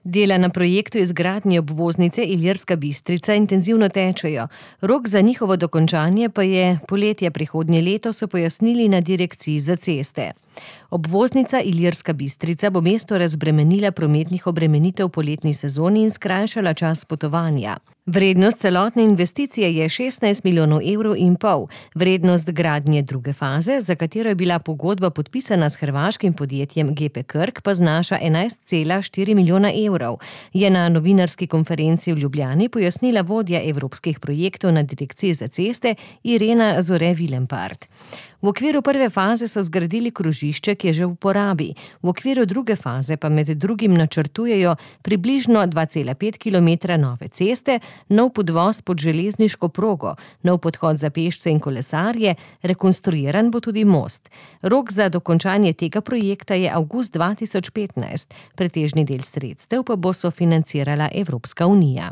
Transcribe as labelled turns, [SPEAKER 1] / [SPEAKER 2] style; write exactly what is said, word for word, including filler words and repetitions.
[SPEAKER 1] Dela na projektu izgradnje obvoznice Ilirska Bistrica intenzivno tečejo. Rok za njihovo dokončanje pa je poletje prihodnje leto, so pojasnili na Direkciji za ceste. Obvoznica Ilirska Bistrica bo mesto razbremenila prometnih obremenitev v poletni sezoni in skrajšala čas potovanja. Vrednost celotne investicije je šestnajst milijonov evrov in pol. Vrednost gradnje druge faze, za katero je bila pogodba podpisana s hrvaškim podjetjem G P Krk, pa znaša enajst cela štiri milijona evrov, je na novinarski konferenci v Ljubljani pojasnila vodja evropskih projektov na Direkciji za ceste Irena Zore-Vilempart. V okviru prve faze so zgradili krožišče, ki je že v uporabi. V okviru druge faze pa med drugim načrtujejo približno dva cela pet kilometra nove ceste, nov podvoz pod železniško progo, nov podhod za pešce in kolesarje, rekonstruiran bo tudi most. Rok za dokončanje tega projekta je avgust dva tisoč petnajst, pretežni del sredstev pa bo sofinancirala Evropska unija.